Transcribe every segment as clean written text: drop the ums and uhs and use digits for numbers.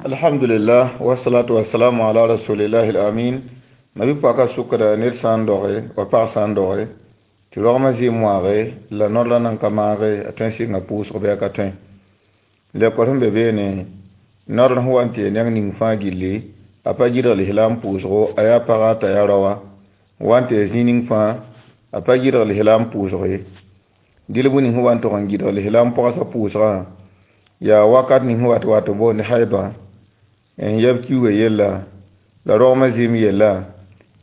Alhamdulillah, wassalatu wassalamu ala rasulillahi al-amin. Mabi paka sukra ned sã n doge wa pag sã n doge tɩ rogmã zɩɩm wãage la nordã nan ka maage a tõe n sɩnga pʋʋsg bɩ a ka tõe. Lekor sẽn be beene nord sẽn wa n tɩ ya neng ning fãa gilli a pa gɩdg lislaam pʋʋsgo, a yaa paga t'a yaa raoã wa n tɩ ya zĩig ning fãa a pa gɩdg lislaam pʋʋsg ye. Dɩl bũ ning sẽn wa n tʋg n gɩdg lislaam pʋgsa pʋʋsgã yaa wakat ning sẽn wat wat n boond haidã n yɛb kiuugã yella la rogmã zɩɩm yella.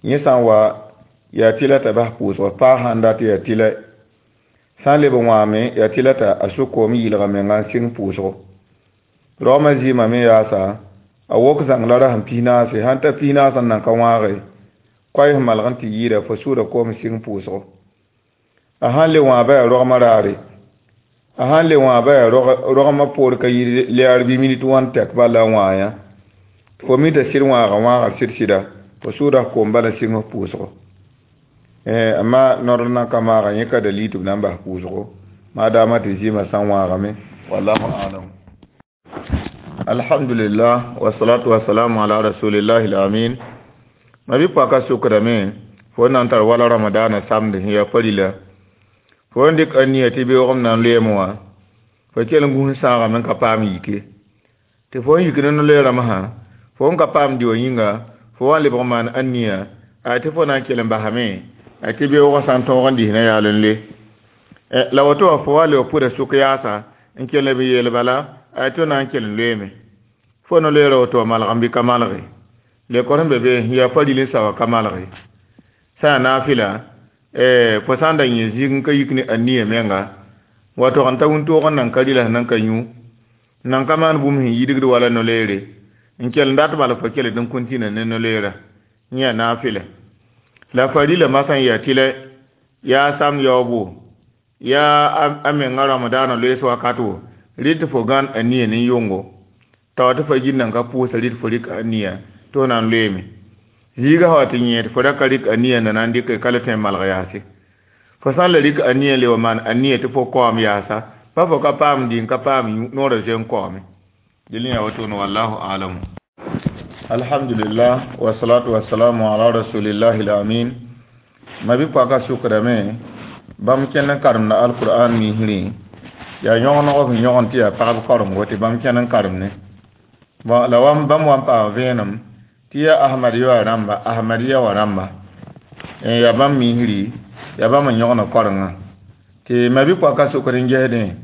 Yẽ sã n wa yaa tɩla t'a bas pʋʋsg, paa sãn dat yaa tɩla, sã n leb n wãame yaa tɩla t'a a sʋk koom yɩlga menga n sɩng pʋʋsgo. Rogmã zɩɩmã me yaasa a wok zãng la rasem 14, sãn ta 14 n nan ka wãage koɛɛ sẽn malg n tɩ yɩɩda fo sʋʋda koom n sɩng pʋʋsgo. A sãn le wãaba yaa rogmã raare, a sãn le wãaba yaa rogmã poor ka yɩ lɛɛr bɩ minit wãn tɛk bala la wãa yã fo mi t'a sɩd wãaga wãagr sɩd sɩda fo sʋʋda koom bala sɩng f pʋʋsgo. Amma nord nan ka maaga yẽ ka dalil tɩ b na n bas pʋʋsgo maadaamã tɩ zɩɩmã sã n wãagame, wallahu alam. Alhamdulillah, wassalatu wassalamu ala rasulillahi al-amin. Mabi paka sukdame fo nan tar wala ramadana samdi sẽn yaa farila fo n dɩk a nia tɩ beoogem na n loeeme wã fo kell n gũs sãagame n ka paam yike tɩ fo n yik ne no-loeerãmbsã fo n ka paam dɩ wã yĩnga fo wa n lebg n maan a nia a tɩ fo na n kell n basame a tɩ beoogã sã n tõog n disna yaal n le. La woto wã fo wa lebg pʋda sʋk yaasa n kell n b yeel bala a tɩ na n kell n loeeme fo no-loeerã woto wã malgem bɩ ka malge lekor sẽn be be yaa faril n saoa ka malge sã yaa naafɩla fo sã n da yẽ zĩig n ka yik ne a nia menga wa tog n ta wĩntoog n nan ka rɩla sẽn nan ka yũ nan ka maan bũmb sẽn yidgd wala no-loeere n kell n dat bala fo kell tɩ n kõntĩna ne no-loeera yẽ yaa naafɩla. La farila masã n yaa tɩlɛ yaa sam yaoobo yaa a menga ramadaana loees wakat wo rɩ tɩ fo gãn a nia ne yʋngo t'a wa tɩ fa gil nan ka pʋʋsa rɩ tɩ fo rɩk a nia tɩ fo na n loeeme. Zĩiga sã wa tɩ yẽ tɩ fo ra ka rɩk a nia na n dɩke ka le tõe n malg yaase. Fo sã n la rɩk a nia n le wa maan a nia tɩ fo kaoom yaasa pa fo ka paam dĩ n ka paam noorã zoe n kaoome. Dẽl yaa wotone, wallahu alamu. Alhamdulillah, wassalatu wassalamu ala rasulillahi al-amin. Mabi paka sukdame bãmb kẽnd n karemda alquran misrẽ yaa yõgeneg sẽn yõgen tɩ yaa pagb karengo tɩ bãmb kẽnd n karemne. Bon, la bãmb wa n paam vẽenem tɩ yaa ahmadiya wã rãmba, ahmadiya wã rãmba yaa bãmb misri yaa bãmb n yõgna korengã tɩ mabi paka sukd n gesdẽ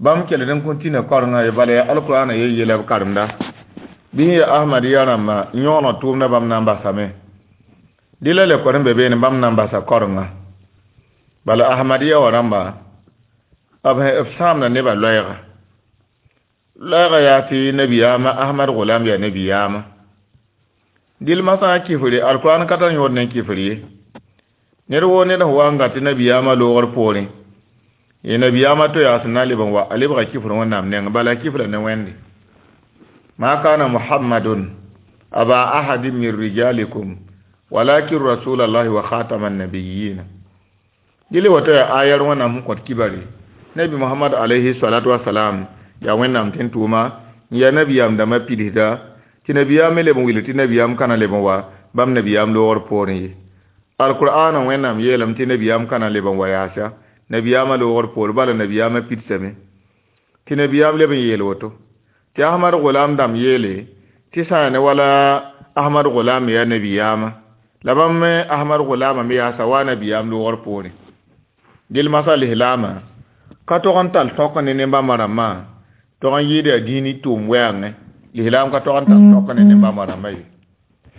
bãmb kell n kõtĩna korengã ye bala yaa alqur'ana ye yela b karemda bɩ sẽn yaa ahmadiya rãmba n yõgna tʋʋmdã bãmb na n basame dɩ la lekor n be beene bãmb na n basa korengã bala ahmadiya wã rãmba b sãamda nebã loɛɛga loɛɛga yaa tɩ nabiyaamã Ahmad Gulam yaa nabiyaamã dɩl masã a kifre alqur'an ka tar yõod ne kifr ye ned woo ned sẽn wa n gat tɩ nabiyaamã loogr poorẽ ye nabiyaamã to yaa sẽn na n leb n wa a lebga kifr wẽnnaam neng bala a kifra ne wẽnde. Ma kana muhammadun aba ahadin min rijalikum walakin rasulallahi wa khatama annabiyyin. Dɩl woto yaa ayar wẽnnaam sẽn kõt kibare nabi muhammad alayhi salatu wasalam yaa wẽnnaam tẽn tʋʋma n yaa nabiyaam dãmbã pidsda tɩ nabiyaam me leb n wil tɩ nabiyaam kana leb n wa bãmb nabiyaam loogr poorẽ ye. Alqur'ana wẽnnaam yeelame tɩ nabiyaam kana leb n wa yaasa nabiyaamã loogr poor bala nabiyaamã pidsame tɩ nabiyaam leb n yeel woto tɩ Ahmad Gulam dãmb yeele tɩ sã ne wala Ahmad Gulam me yaa nabiyaamã la bãmb me Ahmad Gulama me yaasa wa nabiyaam loogr poorẽ. Dɩl masã lislaamã ka tog n tall tõk ne ne-bãmba rãmbã tog n yɩɩd yaa dĩini tʋʋm wɛɛngẽ lislaam ka tog n tall tõk ne ne-bãmba rãmbã ye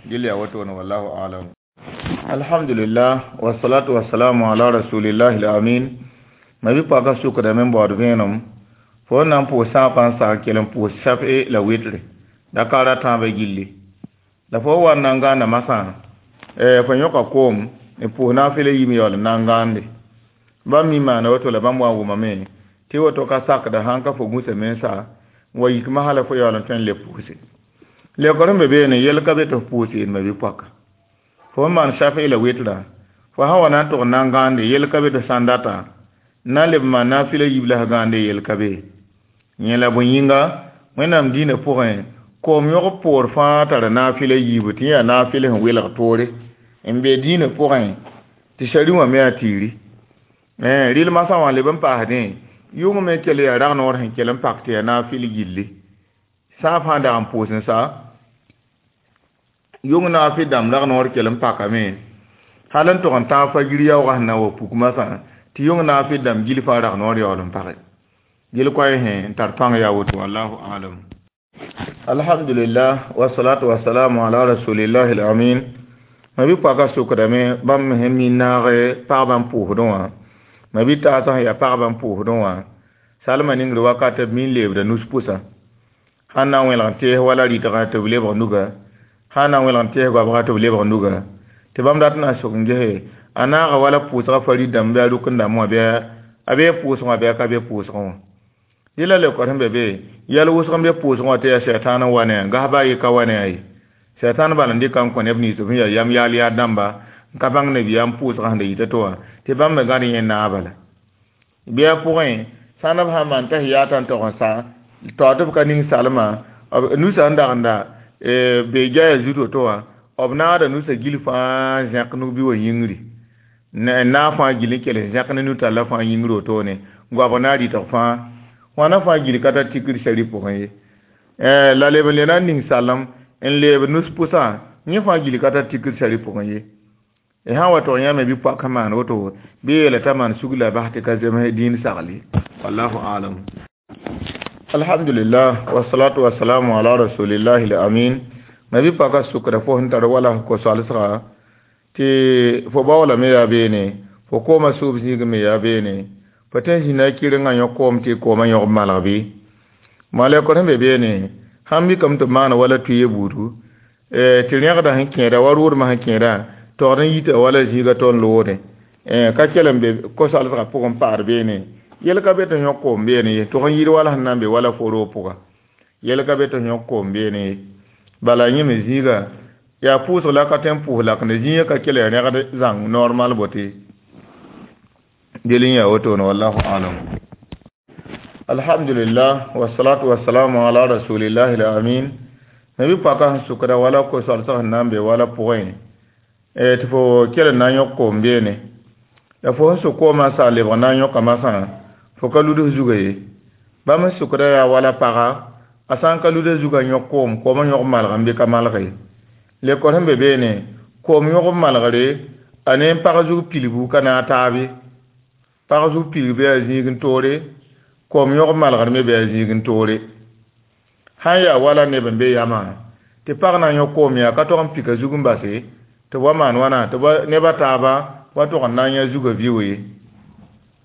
dɩl yaa wotone, wallahu alam. Alhamdulillah, wassalatu wassalamu ala rasulillahi al-amin. Mabi paka sukdame n baood vẽenem fo n na n pʋʋs sãapã n sa n kell n pʋʋs shaf'e la witre dakar a tãabã gilli la fo wa n na n gãanda masã fo yõka koom n pʋʋs naafɩla yim yaool n na n gãande bãmb mi maana woto la bãmb wa n wʋmame tɩ woto ka sakda sãn ka fo gũsame n sa n wa yik masã la fo yaool n tõe n le pʋʋse lekor sẽn be beene yel ka be tɩ f pʋʋs yel mabi-poaka fo n maan shaf'i la witrã fo sã wa na n tʋg n na n gãande yel ka be tɩ sã n data n na n leb n maan naafɩla yiib la s gãande yel ka be yẽ la bõe yĩnga wẽnnaam dĩinã pʋgẽ Koom yõgb poor fãa tara naafɩl a yiibu tɩ yẽ yaa naafɩl sẽn welg toore n be dĩinã pʋgẽ tɩ sari wã me yaa tiiri. Rɩl masã wã leb n paasdẽ yʋng me kell yaa rag-noor sẽn kell n pak tɩ yaa naafɩl gilli. Sã fãa dag n pʋʋs n sa yʋng naafɩl dãmb rag-noor kell n pakame hal n tog n tãag fajir yaoogã sẽn na n wa puk masã tɩ yʋng naafɩl dãmb gil fãa rag-noor yaool n page. Gil koɛɛ sẽn tar pãng yaa woto, wallahu alam. Alhamdulillah, wasalatu wasalamu ala rasulillahi al-amin. Ma bi paka sokdame bãmb sẽn mi naag pagba n pʋʋsdẽ wã, ma bi taasã sẽn yaa pagba n pʋʋsdẽ wã salma ningr wakat b mi n leebda nus pʋsã sãn na n wẽlg n tees wala rɩtgã tɩ b lebg nuga, sãn na n wẽlg n tees goabga tɩ b lebg nuga, tɩ bãmb dat n na n sok n gese a naaga wala pʋʋsgã farid dãmb bɩ a rʋk n dãmb wã bɩ a bee pʋʋsgã wã bɩ a ka be pʋʋsgẽ wã. Dɩ la leokd sẽn be be yɛl wʋsg n be pʋʋsgẽ wã tɩ yaa sɛtaan n wa ne a gas baa ye ka wa ne a ye. Sɛtaan bal n dɩka n kõ neb nins b sẽn yaa yam yaal yaa dãmba n ka bãng nabiyaam pʋʋsgã sẽn da yita tɩ wã tɩ bãmb me gãd yẽ naag bala. Bɩ a pʋgẽ sãn b sã n maan t'a sẽn yaata n tog n sa taoor tɩ b ka ning salma nusã n dag n da be jaya zut woto wã b naagda nusã gil fãa zẽk nug-bi wã yĩngri naag fãa gil n kell n zẽk ne nu-tallã fãa yĩngr wotone goabg na n rɩtg fãa wãna fãa gil ka tar tikr sari pʋgẽ ye. La leb n le na n ning salem n leeb nus pʋsã yẽ fãa gil ka tar tikr sari pʋgẽ ye. Sã n wa tog yãmb bɩ poak sẽn maan woto bɩ yeela t'a maan sug la bas tɩ ka zems dĩin sagl ye, wallahu alam. Alhamdulillah, wasalatu wasalamu ala rasulillahi al-amin. Ma bi paka sukra fo sẽn tar wala ko-soalsga tɩ fo baoolame yaa beene, fo kooma sʋʋb zĩig me yaa beene, fo tõe n zĩna kɩrengã yõ koom tɩ koomã yõg malg bɩ malɛkd sẽn be beene sãn mikame tɩ b maana wala tʋɩ buudu tɩ rẽgda sẽn kẽeda wa rʋʋdmã sẽn kẽeda togd n yita wala zĩiga tɩ n loode ka kell n be ko-soalsgã pʋgẽ n paad beene yel ka be tɩ yõk koom beene ye, tʋg n yɩɩd wala sẽn na n be wala fo roog pʋga yel ka be tɩ yõk koom beene ye. Bala yẽ me zĩiga yaa pʋʋsg la ka tõe n pʋʋs lakende zĩigã ka kell ya rẽgd zãng normal bote del n yaa wotone, wallahu alam. Alhamdulillah, wasalatu wasalamu ala rasulillahi al-amin. Ma bi paka sẽn sʋkda wala ko-soalsg sẽn na n be wala pʋgẽ tɩ fo kell n na n yõk koom beene la fo sẽn sʋk koomã sa lebg na n yõka masã fo ka luds zuga ye. Bãmb sẽn sʋkda yaa wala paga a sã n ka luda zugã yõk koom, koomã yõg malg n bɩ ka malg ye. Lekor sẽn be beene koom yõgb malgre a ne n pag zug pilgu ka naag taab ye. Pag zug pilg bɩ yaa zĩig n toore, koom yõgb malgr me bɩ yaa zĩig n toore. Sã n yaa wala neb n be yamã tɩ pag na n yõk koom yaa ka tog n pika zug n base tɩ b wa maan wãna tɩ neb a taaba wa tog n na n yã zugã vɩ ye.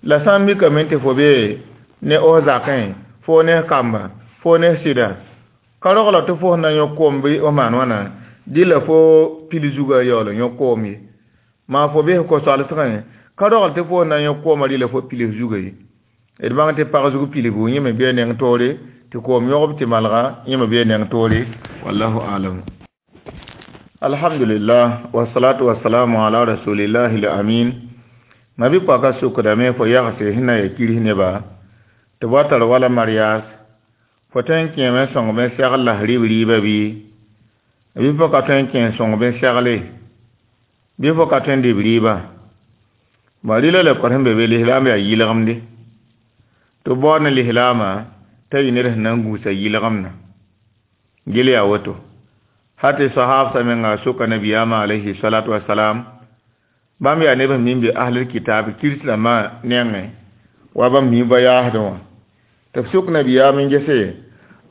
La sã n mikame tɩ fo be ne f zakẽ fo ne f kamba fo ne f sɩda ka rogla tɩ fo sẽn na n yõk koom bɩ f maan wãna dɩla fo pil zugã yaool n yõk koom ye. Maa fo bes ko-soalsgẽ ka rogl tɩ fo sẽn na n yõk koomã rɩla fo pil f zugã ye. D bãng tɩ pag zug pilgu yẽ me bee neng toore tɩ koom yõgb tɩ malga yẽ me bee neng toore, wallahu alam. Alhamdulillah, wasalatu wasalamu ala rasulillahi al-amin. Ma bi paka sukdame fo yagse sẽn na ya kirs neba tɩ b wa tar wala marias fo tõe n kẽeme n sõng bẽ segl la rɩb rɩɩbã bɩ bɩ fo ka tõe n kẽ n sõng bẽ segle bɩ fo ka tõe n dɩ b rɩɩbã. Bõ rɩla lekor sẽn be be lislaam yaa yɩlgemde tɩ b baood ne lislaamã t'a yɩ ned sẽn na n gũusa yɩlgemdã gel yaa woto. Hal tɩ sahaabsã menga soka nabiyaamã alayhi salatu wasalam bãmb yaa neb sẽn min be ahlul kitab kirs rãmbã nengẽ wa bãmb mi ba yaasdẽ wã tɩ b sʋk nabiyaam n gese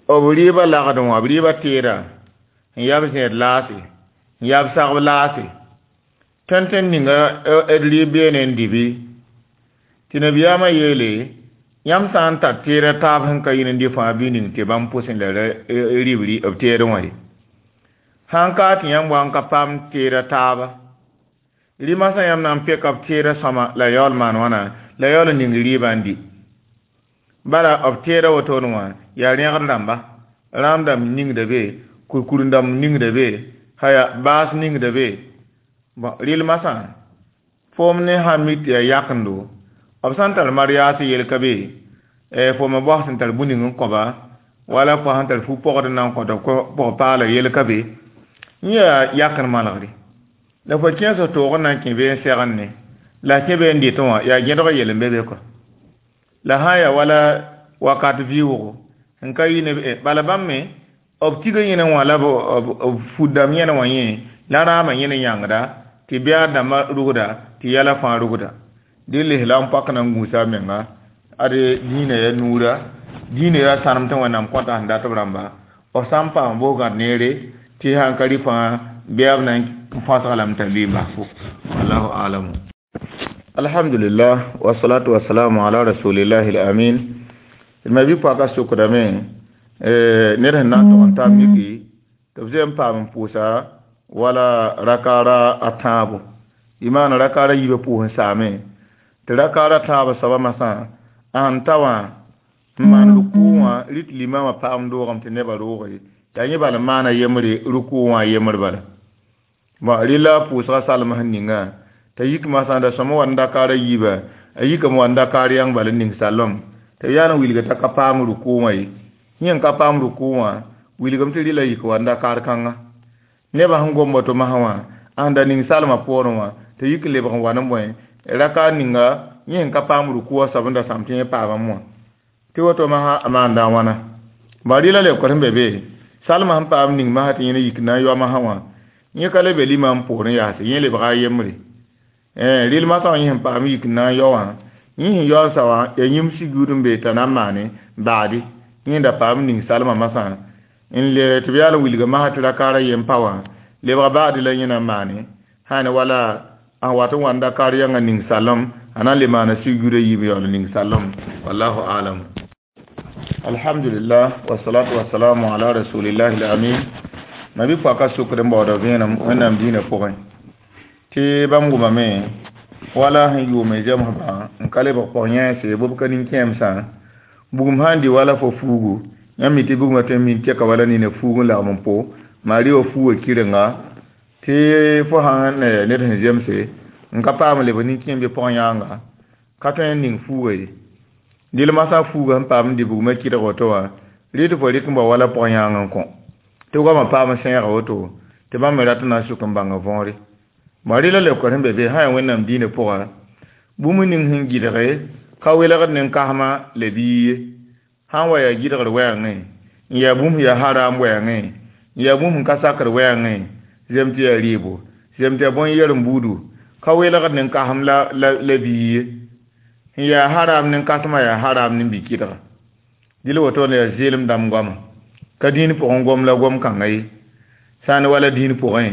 b rɩɩbã lagdẽ wã b rɩɩbã teera n yaa b zẽed laase n yaa b sagb laase tõnd ninga d rɩɩb beene n dɩ bɩ tɩ nabiyaamã yeele yãmb sã n tar teera taab sẽn ka yĩn n dɩ fãa bɩ ning tɩ bãmb pʋsẽ la rɩb b teedẽ wã ye. Sã n ka tɩ yãmb wa n ka paam teera taaba rɩmasã yãmb na n peka b teera sõma la yaool maan wãna la yaool n ning rɩɩbã n dɩ. Bala b teera wotone wã yaa rẽgd rãmba rãam dãmb ningda be kurkur dãmb ningda be haya baas ningda be. Bõ rɩl masã foom ne sã n mik tɩ yaa yakendo b sã n tar mariaas yel ka be fo me baos sẽn tar bũ ning n kõba Wala fo sẽn tar fu-pɔgd n na n kõta pɔg-paala yel ka be yẽ yaa yakr malgre la fo kẽes toog n na n kẽ bee n segend ne la kẽ bee n dɩtẽ wã yaa gẽdg yel n be be kɔ la sã n yaa wala wakat vɩʋʋgo n ka yɩ ne bala bãmb me b tiga yẽne wã la b fut dãmb yẽne wã yẽ la rãamã yẽne yãngda tɩ bɛɛd dãmbã rugda tɩ yɛla fãa rugda dɩ lislaam pak na n gũusa a menga ade dĩinã yaa nuura dĩinã yaa sãnem tɩ wẽnnaam kõta sẽn dat b rãmba b sã n paam bosgãd neere tɩ sãn ka rɩ fãa bɩa b na n fãsga lame t'a lʋɩ n basfo wallahu alamu. Alhamdulillah wasalatu wasalamu ala rasulillahi alamin. Ma bi paka sukdame ned sẽn na n tog n tar miki tɩ b zoe n paam n pʋʋsa wala rakaara a tãabo y maana rakaara yiibã pʋʋs n saame tɩ rakaara tãabã soaba masã a sẽn ta wã n maan rukʋ wã rɩt limamã paam doogame tɩ nebã rooge yaa yẽ bala n maana yembre rukʋ wã yembr bala bon rɩla pʋʋsga salem sẽn ninga t'a yik masã da sõma wa n dakaara yiibã a yikame wa n dakaar yãng bala n ning salem tɩ b yaa n wilga t'a ka paam rukʋ wã ye yẽ n ka paam rukʋ wã wilgame tɩ rɩla yik wa n dakaar kãnga nebã sẽn gom woto masã wã a sẽn da ning salmã poorẽ wã tɩ yik n lebg n wa ne bõe raka ninga yẽ sẽn ka paam rukʋ wã soab n da sãam tɩ yẽ paamame wã tɩ woto masã a maanda a wãna ba rɩla lebk sẽn be be salmã sẽn paam ning masã tɩ yẽ yik na n yao masã wã yẽ ka le be limam poorẽ yaase yẽ lebga a yembre rɩl masã wã yẽ sẽn paam yik n na n yao wã yẽ sẽn yao n sa wã yaa yĩm sugud n be t'a na n maane baadi yẽ da paam ning salmã masã n le tɩ b yaa n wilga masã tɩ rakaara yem pa wã lebga baadi la yẽ na n maane sã ne wala a wat n wa n dakaar yãnga ning salem a na n le maana sugudã yiib yaool ning salem wallahu alam. Alhamdulillah wasalatu wasalamu ala rasulillahi alamin. Ma bi paka sukr n baooda vẽenem wẽnnaam dĩinã pʋgẽ tɩ bãmb wʋmame wala sẽn yʋʋme zemsbã n ka lebg pɔg-yẽese bʋb ka nin-kẽemsã bugum sã n dɩ wala fo fuugu yãmb mi tɩ bugmã tõe n min tɛka wala nina fuug n lagm n po maa rɩ wa fuugã kɩrenga tɩ fo sãn ned sẽn zemse n ka paam leb nin-kẽem bɩ pɔg-yãanga ka tõe n ning fuuga ye dɩl masã fuuga sẽn paam n dɩ bugmã kɩdg woto wã rɩ tɩ fo rɩk n bao wala pɔg-yãang n kõ tɩ goamã paam sẽega woto tɩ bãmb me rat n na n sʋk n bãnga võore ma rɩla lebk sẽn be be sã yaa wẽnnaam dĩinã pʋga bũmb ning sẽn gɩdge ka welgd ne kasmã la bii ye sã n wa yaa gɩdgr wɛɛngẽ n yaa bũmb yaa haram wɛɛngẽ n yaa bũmb sẽn ka sakr wɛɛngẽ zem tɩ yaa rɩɩbo zem tɩ yaa bõn-yɛrem buudu ka welgd ne kasem la bii ye n yaa haram ne kasmã yaa haram ne bi-kɩdga dɩl woto la yaa zeelem dãmb goama ka dĩin pʋgẽ gom la gom kãnga ye sã n wala dĩin pʋgẽ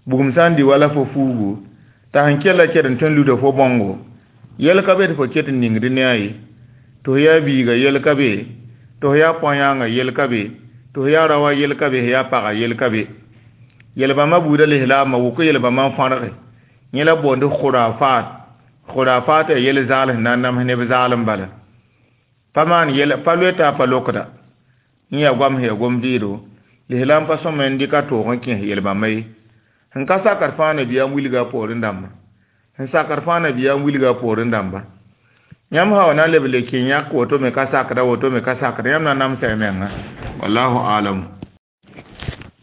bugum sã n dɩ wala fo fuugu t'a sẽn kella kɛd n tõe n luda fo bõngo yɛl ka be tɩ fo ket n ningd ne a ye tɩ fo yaa biiga yɛl ka be tɩ fo yaa põ-yãangã yɛl ka be tɩ fo yaa raoã yɛl ka be yaa pagã yɛl ka be yɛl-bãmbã buudã lislaamã wʋk yɛl-bãmbã n fãrge yẽ la boond khurafat khurafat yaa yɛl zaal sẽn na n nams neb zaalem bala pa maan yɛl pa loeta pa lokda yẽ yaa goam sẽn yaa gom vɩɩdo lislaam pa sõma n dɩk a toog n kẽes yɛl-bãmba ye sẽn ka sakr fãa nabiyaam wilga a poorẽ dãmba sẽn sakr fãa nabiyaam wilga a poorẽ dãmba yãmb sã wa na n leb le kẽ yãk woto me ka sakda woto me ka sakda yãmb na n namsa y menga wallahu alam.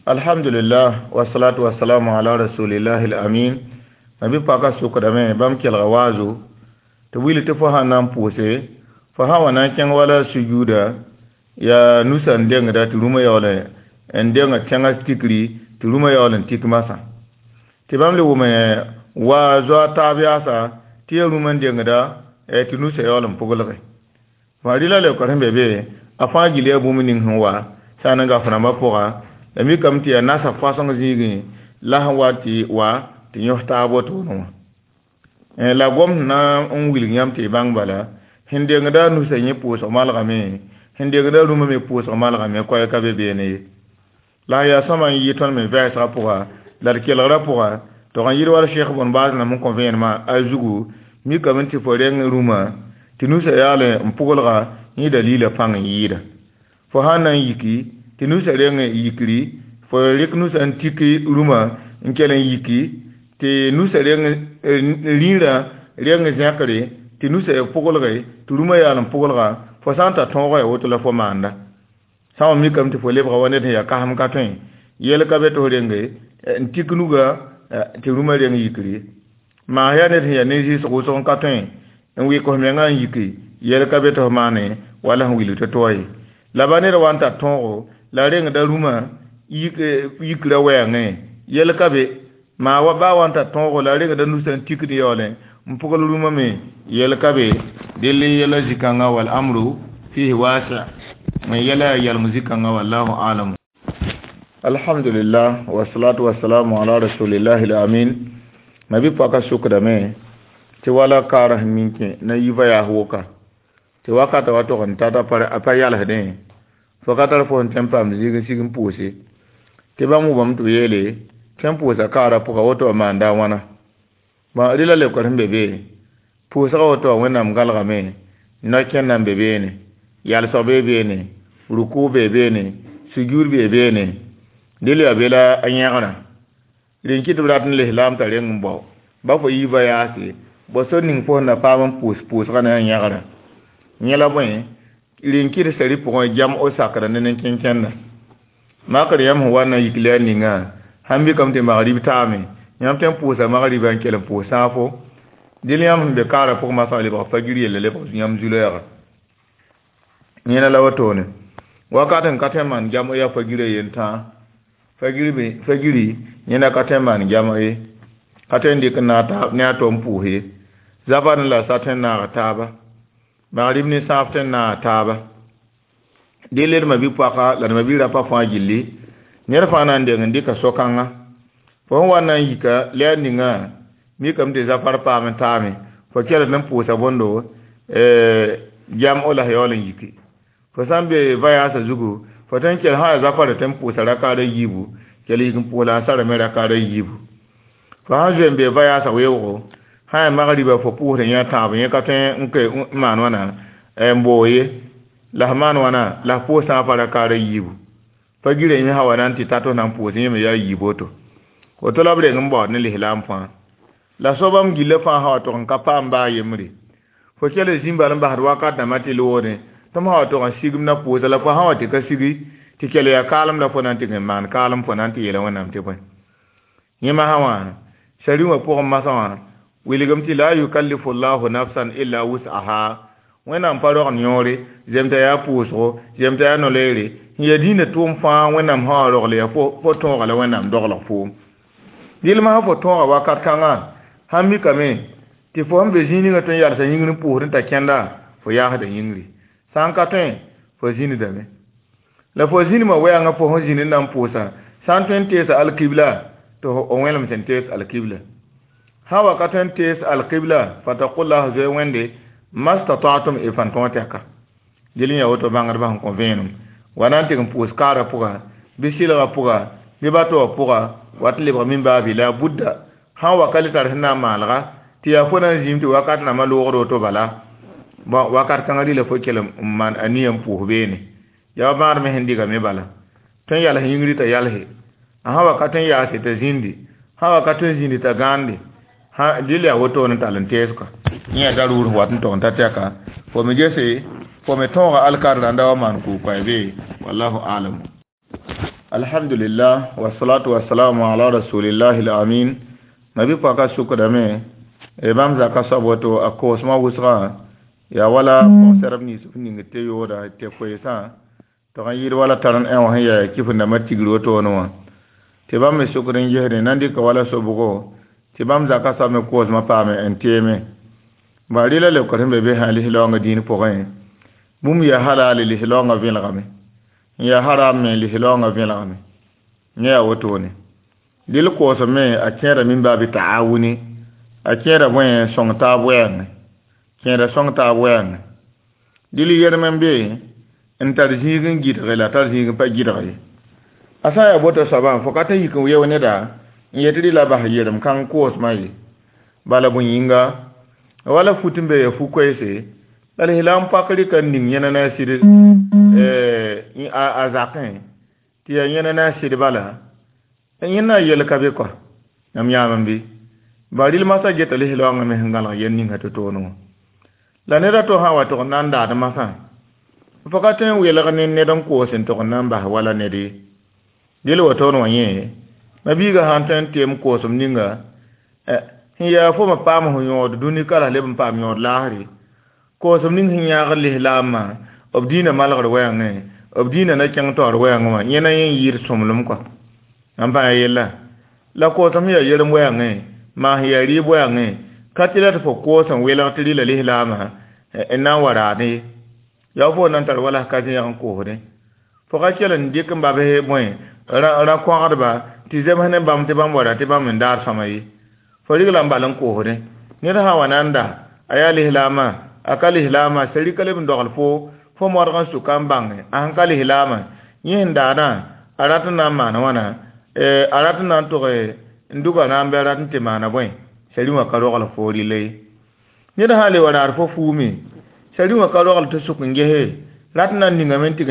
Alhamdulillah wasalatu wasalamu ala rasulillahi alamin. Ma bɩ paka sʋkdame bãmb kelga waazo tɩ wil tɩ fo sãn na n pʋʋse fo sã wa na n kẽng wala sujuuda yaa nusa n dengda tɩ rũmã yaool n denga tẽngã tikri tɩ rũmã yaool n tik masã tɩ bãmb le wʋme wa zoa taab yaasa tɩ yaa rũmã n dengda tɩ nusa yaool n pʋglge fã rɩla leokr sẽn be be a fãa gil yaa bũmb ning sẽn wa sã n gaf rãmbã pʋga la mikame tɩ yaa nasa fãseng zĩigẽ la sẽn wa tɩ wa tɩ yõs taab wotone wã la gom sẽn na n wilg yãmb tɩ y bãng bala sẽn dengda nusa yẽ pʋʋsg malgame sẽn dengda rũmã me pʋʋsg malgame koɛɛ ka be beene ye la yaa sõma n yɩ tõnd me vɛɛsgã pʋga la d kelgrã pʋga tɩ n yɩd wala sheikh bõn baas nam n kõ vẽenemã a zugu mikame tɩ fo reng rũmã tɩ nusa yaal n pʋglga yẽ dalila pãng n yɩɩda fo sãn na n yiki tɩ nusa reng yikri fo rɩk nusa n tiki rũmã n kell n yiki tɩ nusa reng rĩirã reng zẽkre tɩ nusa ya pʋglge tɩ rũmã yaal n pʋglga fo sã n ta tõoga ya woto la fo maanda Sã n mikame tɩ fo lebga wa ned sẽn yaa kasem ka tõe yɛl ka be tɩ f renge n tik nuga tɩ rũmã reng yikr ye. Maas yaa ned sẽn yaa ne-zɩɩsg wʋsg n ka tõe n wɩk f mengã n yiki yɛl ka be tɩ f maane wala sẽn wilg tɩ to ye. La ba ned wa n tar tõogo la rengda rũmã yikra wɛɛngẽ yɛl ka be. Maa wa baa wa n tar tõogo la rengda nusã n tikd yaoolẽ n pʋgl rũmã me yɛl ka be. Dell yɛla zĩ-kãngã wal amru fihi wasi n yɛla yaa yaleng zĩ-kãngã wallahu alam. Alhamdulillah wasalatu wasalamu ala rasulillahi al-amin. Mabi pɔka sukdame tɩ wala kaara sẽn min kẽ na yi va-yaas woka tɩ wakata wa tog n tata a pa yalsdẽ fo ka tar fo sẽn tõe n paam zĩig n sig n pʋʋse tɩ bãmb wʋmame tɩ b yeele tõe n pʋʋsa kaara pʋga woto wã maanda a wãna. Bõn rɩla leokr sẽn be be pʋʋsga woto wã wẽnnaam galgame no-kẽnda n be beene yalsg bee beene rukʋ bee beene sujuud bee beene dɩl yaa be la a yẽgrã rẽn kɩ tɩ b rat n lislaam t'a reng n bao ba fo yi va-yaase bõ sor ning fo sẽn na paam n pʋʋs pʋʋsgã ne a yẽgrã yẽ la bõe rẽn kɩt sari pʋgẽ jam o sakra ne nen-kẽnkẽnda makr yãmb sẽn wa n na yik la ningã sãn mikame tɩ magrib taame yãmb tõe n pʋʋsa magriba n kell n pʋʋs sãafo dɩl yãmb sẽn be kaarã pʋgẽ masã lebg fagir yella lebg yãmb zu-loɛɛga yẽna la wotone wakat n ka tõe n maan jam yaa fagirã yen-tãa fagiri yẽna ka tõe n maan jam ye ka tõe n dɩk ne a to n pʋʋs ye zafar la sa tõe n naag taaba magrib ne sãaf tõe n naag taaba dɩl d mabi-poaka la d mabi-rapa fãa gilli ned fãa na n deng n dɩka so-kãnga fo sẽn wa na n yika la yaa ningã mikame tɩ zafar paam n taame fo kelg n pʋʋsa bõndo jam o la yaool n yiki fo sã n be va-yaasã zugu fo tõe n kell sã yaa zafara tõe n pʋʋsa rakaad a yiibu kell yik n pʋʋs la a sarame rakaad a yiibu fo sãn zoe n be va-yaasã weoogo sã yaa magriba fo pʋʋsd yẽ tãab yẽ ka tõe n ke n maan wãna n boog ye la f maan wãna la f pʋʋs sãafã rakaad a yiibu pa gira yẽ sã wa na n tɩ ta tɩ f na n pʋʋs yẽ me yaa yiib woto woto la b reng n baood ne lislaam fãa la soabam gilla fãa sã wa tog n ka paam baa yembre fo kell zĩmbal n basd wakat dãmbã tɩ loogdẽ tɩ m sã wa tog n sigm na pʋʋsa la fo sã wa tɩ ka sigi tɩ kell yaa kaalem la fo na n tɩ n maan kaalem fo na n tɩ yeela wẽnnaam tɩ bõe yẽ masã wã sari wã pʋgẽ masã wã wilgem tɩ la yukallifu llahu nafsan illa wus'aha wẽnnaam pa rogd yõore zemta yaa pʋʋsgo zemta yaa no-loeere sẽn yaa dĩinã tʋʋm fãa wẽnnaam sã wa rogl yaa fo tõoga la wẽnnaam doglg foom dɩl masã fo tõoga wakat kãngã sãn mikame tɩ fo sẽn be zĩig ningã tõe n yalsa yĩngr n pʋʋsd n ta kẽnda fo yaasda yĩngri sã n ka tõe fo zĩndame la fo zĩnimã wɛɛngã fo sẽn zĩnd n na n pʋʋsa sã n tõe n teesa alkibla tɩ f wẽlem sẽn tees alkibla sã wa ka tõe n tees alkibla fatakullah zoe wẽnde mastata'tum y fãn tõog tɛka dɩl n yaa woto bãngdbã sẽn kõ vẽenem wa na n tɩg n pʋʋs kaarã pʋga bɩ sɩlgã pʋga bɩ bato wã pʋga wat n lebg min baabi la budda sã n wa ka le tar sẽn na n maalga tɩ yaa fo na n zĩim tɩ wakat nambã loogd woto bala bõn wakat kãngã rɩla fo kell n maan a nia n pʋʋs beene yaa bãad me sẽn dɩgame bala tõe n yals yĩngri t'a yalse a sã wa ka tõe n yaase t'a zĩndi sã wa ka tõe n zĩndi t'a gãande dɩl yaa wotone n tall n teesga yẽ yaa daruur wat n tog n ta tɛka fo me gese fo me tõoga alkar rãnda wa maan kʋʋ-koɛɛ be wallahu alam. Alhamdulillah wasalatu wasalamu ala rasulillahi al-amin. Mabi pɔka sukdame bãmb zaka soab woto a koosmã wʋsgã yaa wala pɔgsɛrb nins f ning tɩ yooda tɩ koeesã tɩg n yɩɩd wala tar n ẽ wã sẽn yaa kɩf ndambã tigr wotone wã tɩ bãmb me sukd n gesdẽ na n dɩka wala sobgo tɩ bãmb zaka soab me koosmã paame n teeme bã rɩla leokr sẽn be be sã lislaoongã dĩin pʋgẽ bũmb yaa halal lislaoongã vẽlgame n yaa haram me lislaoongã vẽlgame yẽ yaa wotone dɩl koosem me a kẽeda min baa bɩ taawuni a kẽeda bõe sõng taab wɛɛngẽ kẽeda sõng taab wɛɛngẽ dɩl yerem n be n tar zĩig n gɩdge la tar zĩig n pa gɩdg ye a sã n yaa boto soabã fo ka tõe n yik n weo neda n yet rɩla bas yerem kãng koosmã ye bala bõe yĩnga wala fut n be ya fu-koeese la lislaam pak rɩka n ning yẽna na a sɩd a zakẽ tɩ yaa yẽna na a sɩd bala yẽna na yɛl ka be kɔa yãmb yãam n be ba rɩl masã geta lislaoongã me sẽn gãlg yɛl ninga tɩ toone wã la ned a to sã wa tʋg n na n daad masã Fo ka tõe n welg ne ned n koos n tog n na n bas wala ned ye. Del wotoon wã yẽ, ma-biigã sã n tõe n tem koosem ninga, sẽn yaa fo me paam f yõod dũni ka la leb n paam yõod laasre. Koosem ning sẽn yãagd lislaambã, b dĩinã malgr wɛɛngẽ, b dĩinã na kẽng taoor wɛɛngẽ wã, yẽ na yẽ n yɩɩd sõmblem kɔa. N bãa yella. La koosem sẽn yaa yerem wɛɛngẽ, maa sẽn yaa rɩɩb wɛɛngẽ, ka tɩ la tɩ fo koos n welg tɩ rɩla lislaambã n na n wa raadẽ ye. Yaa fo na n tar wala ka zẽeg n koosdẽ. Fo ka kell n dɩk n babs bõe rã-kõgdba tɩ zems ne bãmb tɩ bãmb wa ra tɩ bãmb n daar sõma ye. Fo rigla n bal n koosdẽ. Ned sã n wa na n da, a yaa lislaamã, a ka lislaamã, sari ka leb n dogl fo, fo modg n sʋka n bãnge, a sẽn ka lislaamã, yẽ sẽn daadã, a rat n na n maan wãna, a rat n na n tʋg n dʋga rãam bɩ a rat n tɩ maana bõe, sari wã ka rogl fo rɩla ye. Ned sã n le wa raad fo fuume, sari wã ka rogl tɩ sʋk n gese, rat n na n ningame n tɩg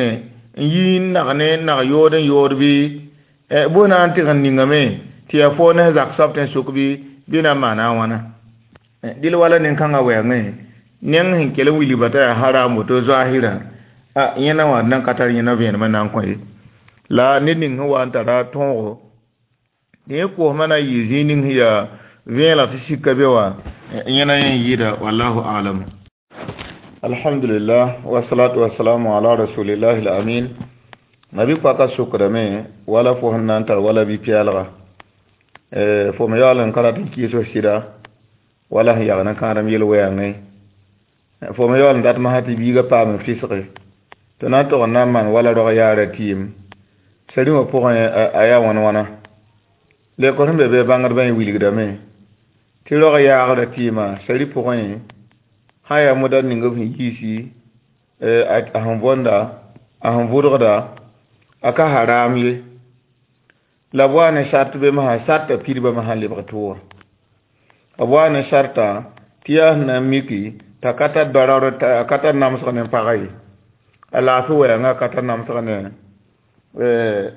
n yi n nag ne nag yood n yood bɩ, bõe na n tɩg n ningame tɩ yaa fo ne zak soab tɩ n sʋk bɩ na n maana a wãna. Dɩl wala nin-kãngã wɛɛngẽ, neng sẽn kell n wilgba t'a yaa haram woto zoaasɩrã, a yẽna wã nan ka tar yẽna vẽenemã na n kõ ye. La ned ning sẽn wa n tara tõogo, tɩ yẽ koosmã na n yɩ zĩig ning sẽn yaa vẽelg tɩ sika be wã, yẽna yẽ n yɩɩda wallahu alam. Alhamdulillah, wasalatu wasalamu ala rasulillahi al-amin. Mabi-poaka sokdame wala fo sẽn na n tar wala bi-pɛɛlga. Fo me yaool n ka rat n kɩɩs f sɩda wala sẽn yagd n kãadem yel-wɛɛngẽ. Fo me yaool n dat masã tɩ biigã paam fisge. Tɩ na n tog n na n maan wala rog yaara tɩɩm. Sari wã pʋgẽ a yaa wãn-wãna. Lekr sẽn be be bãngdbã yẽ wilgdame tɩ rog yaagrã tɩɩmã sari pʋgẽ sã yaa moda ning b sẽn yiisi, a sẽn võnda, a sẽn vʋdgda, a ka haram ye. La b wa ne sart be masã sartã pidbã masã n lebg tʋʋga. B wa ne sartã tɩ yaa sẽn na n miki t'a ka tar daraoor, a ka tar namsg ne pagã ye. A laafɩ wɛɛngã a ka tar namsg ne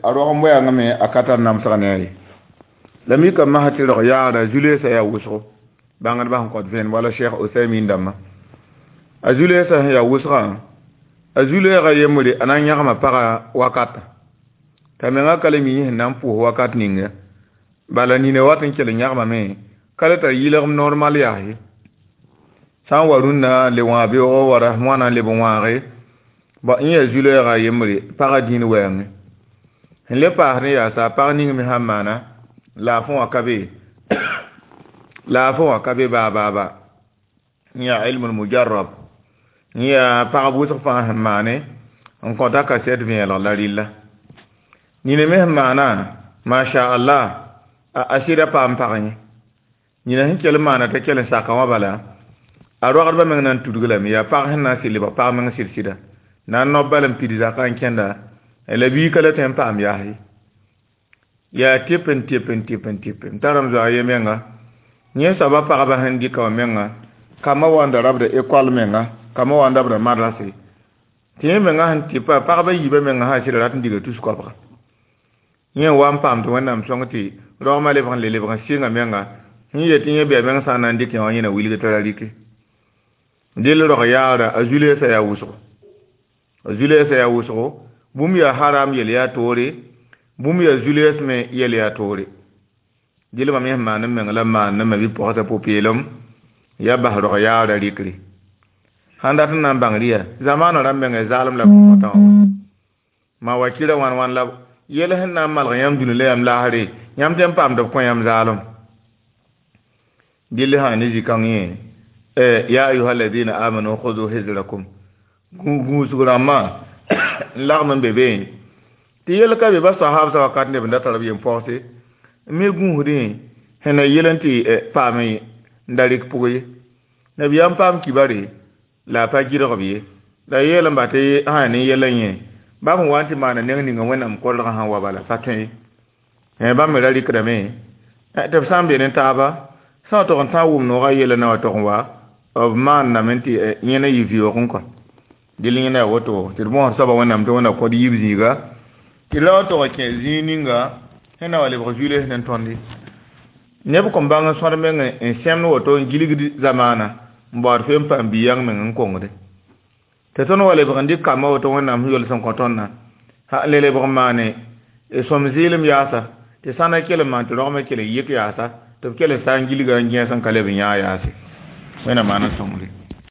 a rogem wɛɛngã me a ka tar namsg ne a ye. La mika masã tɩ rog yaagrã zu-leesã yaa wʋsgo. Bãngdbã sẽn kõt vẽenem wala Cheikh Osaymin dãmbã. A zu-leesã sẽn yaa wʋsgã, a zu-leegã yembre a na n yãgma pagã wakata. T'a mengã ka le mi sẽn na n pʋʋs wakat ninga. Bala nina wat n kell n yãgmame, ka le tar yɩlgem normal yaa ye. Sã n wa rũnnã le wãag beoogo wara wãna n leb n wãage, bõ yẽ yaa zu-leegã yembre pagã dĩin wɛɛngẽ. Sẽn le paasdẽ yaa sa pag ning me sãn maana, laafẽ wã ka be, laafẽ wã ka be baa baa baa. Yẽ yaa ilmul mujarrab. Yẽ yaa pagb wʋsg fãa sẽn maane n kõta kasɛt vẽelg la rɩlla. Nina me sẽn maana, masha Allah, a sɩda paam pag yẽ. Nina sẽn kell n maana t'a kell n saka wã bala, a rogdbã meng na n tudg lame, yaa pag sẽn na n sɩd lebg pag meng sɩd-sɩda. Na n nob bal n pid zakã n kẽnda, la bii ka la tõe n paam yaas ye. Yaa tɩp n tɩp n tɩp n tɩp. M tara m zoa ye menga. Yẽ soaba pagba sẽn dɩka wã menga, kambã wa n da rabda ekɔl menga, kambã wa n dabda madrase. Tɩ yẽ menga sẽn tɩpa, pagba yiibã menga sã sɩd rat n diga tus koabga. Yẽ n wa n paam tɩ Wẽnnaam sõng tɩ rogmã lebg n le lebg n sɩnga menga, sẽn yet tɩ yẽ bɩa meng sã n na n dɩk yã wã yẽ na wilg t'a ra rɩke. Dɩl rog yaagrã, a zu-leesã yaa wʋsgo. A zu-leesã yaa wʋsgo, bũmb yaa haram yel yaa toore, bũmb yaa zu-lees me yel yaa toore. Dɩl mam yẽ sẽn maan n meng la n maan ne ma bi-pɔgsã pʋ-peelem, ya bas rog yaagrã rɩkre. Sãn dat n na n bãng rɩ yaa, zamaanã rãmb mengã zaalem la b kõtã wã. Maa wa kɩra wãn wãn la yɛl sẽn na n malg yãmb dũni la yãmb laasre, yãmb tõe n paamd b kõ yãmb zaalem. Dɩl sã ne zĩ-kãng yẽ, ya ayuha alladina amanu khudu hizrakum. Gũusg rãmbã n lagm n be be tɩ yɛl ka be ba sahabsã wakat neb n da tar b yem-pɔgse n me gũusdẽ sẽn na yel n tɩ paam n da rɩk pʋg ye. Nabiyaam paam kibare la a pa gɩdg b ye. La yeel n ba tɩ sã yaa ne yɛl n yẽ, bãmb sẽn wa n tɩ maana neng ninga Wẽnnaam kolgã sẽn wa bala pa tõe ye. Bãmb me ra rɩkdame tɩ b sã n be ne taaba, sã n tog n tã wʋm noogã yɛla na wa tog n wa, b maanname tɩ yẽ na yɩ vɩoogẽ kɔa. Dɩl yẽ na yaa woto tɩ d bõosd soaba Wẽnnaam tɩ Wẽnna kõt yiib zĩiga, tɩ la wa tog n kẽ zĩig ninga sẽn na wa lebg zu-lees ne tõnd ye. Neb kõn bãng n sõd meng n sẽmd woto n gilgd zamaana n baood fe n paam bi-yãng meng n kongde. Tɩ tõnd wa lebg n dɩk kambã woto Wẽnnaam sẽn yols n kõ tõndã, le lebg n maane sõm zɩɩlem yaasa, tɩ sãnda kell n maan tɩ rogmã kell n yik yaasa, tɩ b kell n saa n gilga n gẽes n ka leb n yãag yaase. Wẽnnaam maan n sõngre.